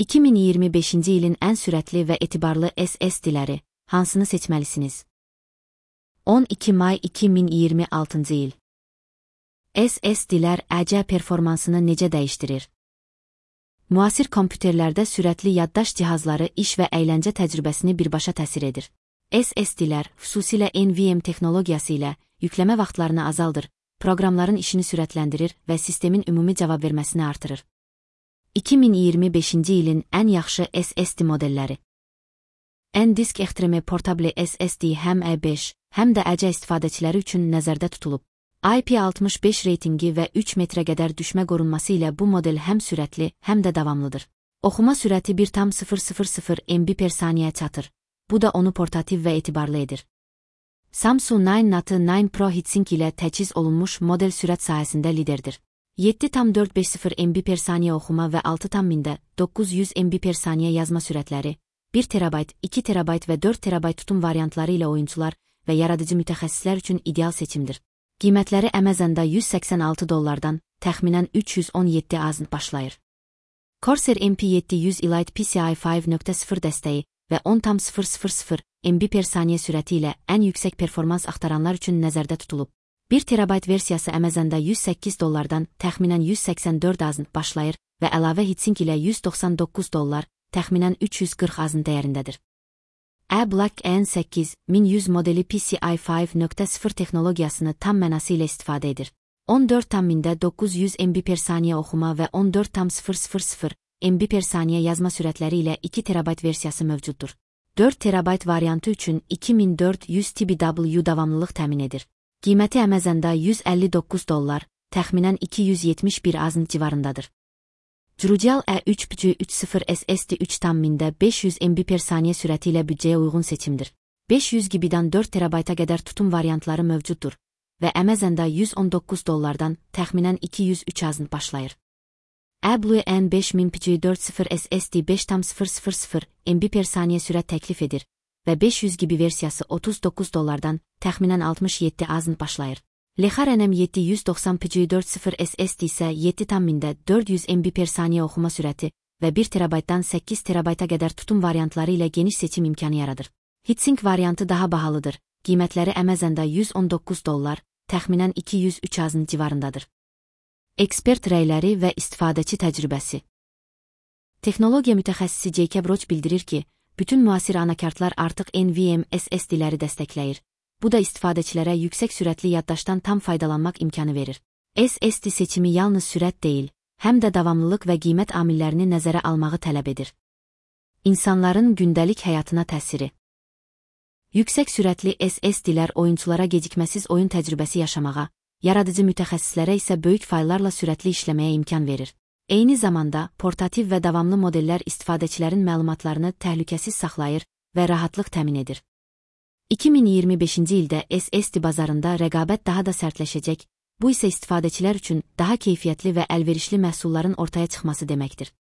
2025-ci ilin ən sürətli və etibarlı SSD-ləri hansını seçməlisiniz? 12 may 2026-cı il. SSD-lər AC performansını necə dəyişdirir? Müasir kompüterlərdə sürətli yaddaş cihazları iş və əyləncə təcrübəsini birbaşa təsir edir. SSD-lər, xüsusilə NVMe texnologiyası ilə yükləmə vaxtlarını azaldır, proqramların işini sürətləndirir və sistemin ümumi cavab verməsini artırır. 2025-ci ilin ən yaxşı SSD modelləri. NDisk Extreme Portable SSD həm E5, həm də AC istifadəçiləri üçün nəzərdə tutulub. IP65 reytingi və 3 metrə qədər düşmə qorunması ilə bu model həm sürətli, həm də davamlıdır. Oxuma sürəti 1,000 MB per saniyə çatır. Bu da onu portativ və etibarlı edir. Samsung 9 Pro Heatsink ilə təchiz olunmuş model sürət sahəsində liderdir. 7,450 MB per saniyə oxuma və 6,900 MB per saniyə yazma sürətləri, 1 TB, 2 TB və 4 TB tutum variantları ilə oyunçular və yaradıcı mütəxəssislər üçün ideal seçimdir. Qiymətləri Amazonda $186, təxminən 317 AZN başlayır. Corsair MP700 Elite PCIe 5.0 dəstəyi və 10,000 MB per saniyə sürəti ilə ən yüksək performans axtaranlar üçün nəzərdə tutulub. 1 TB versiyası Amazonda $108, təxminən 184 AZN başlayır və əlavə heatsink ilə $199, təxminən 340 AZN dəyərindədir. A-Block N8 1100 modeli PCIe 5.0 texnologiyasını tam mənası ilə istifadə edir. 14,900 MB per saniyə oxuma və 14,000 MB per saniyə yazma sürətləri ilə 2 TB versiyası mövcuddur. 4 TB variantı üçün 2400 TBW davamlılıq təmin edir. Qiyməti Amazonda $159, təxminən 271 AZN civarındadır. Drujal E3.30 SSD 3,500 MB per saniyə sürəti ilə büdcəyə uyğun seçimdir. 500 GB-dan 4 TB-a qədər tutum variantları mövcuddur və Amazonda $119, təxminən 203 AZN başlayır. Ablu N5040 SSD 5,000 MB per saniyə sürət təklif edir və 500 GB versiyası $39, təxminən 67 AZN başlayır. Lexar NM790 SSD isə 7,400 MB per saniyə oxuma sürəti və 1 TB-dan 8 TB-a qədər tutum variantları ilə geniş seçim imkanı yaradır. Heatsink variantı daha bahalıdır. Qiymətləri Amazonda $119, təxminən 203 AZN civarındadır. Ekspert rəyləri və istifadəçi təcrübəsi. Texnologiya mütəxəssisi Jacob Roach bildirir ki, bütün müasir anakartlar artıq NVMe SSD-ləri dəstəkləyir. Bu da istifadəçilərə yüksək sürətli yaddaşdan tam faydalanmaq imkanı verir. SSD seçimi yalnız sürət deyil, həm də davamlılıq və qiymət amillərini nəzərə almağı tələb edir. İnsanların gündəlik həyatına təsiri. Yüksək sürətli SSD-lər oyunçulara gecikməsiz oyun təcrübəsi yaşamağa, yaradıcı mütəxəssislərə isə böyük fayllarla sürətli işləməyə imkan verir. Eyni zamanda, portativ və davamlı modellər istifadəçilərin məlumatlarını təhlükəsiz saxlayır və rahatlıq təmin edir. 2025-ci ildə SSD bazarında rəqabət daha da sərtləşəcək, bu isə istifadəçilər üçün daha keyfiyyətli və əlverişli məhsulların ortaya çıxması deməkdir.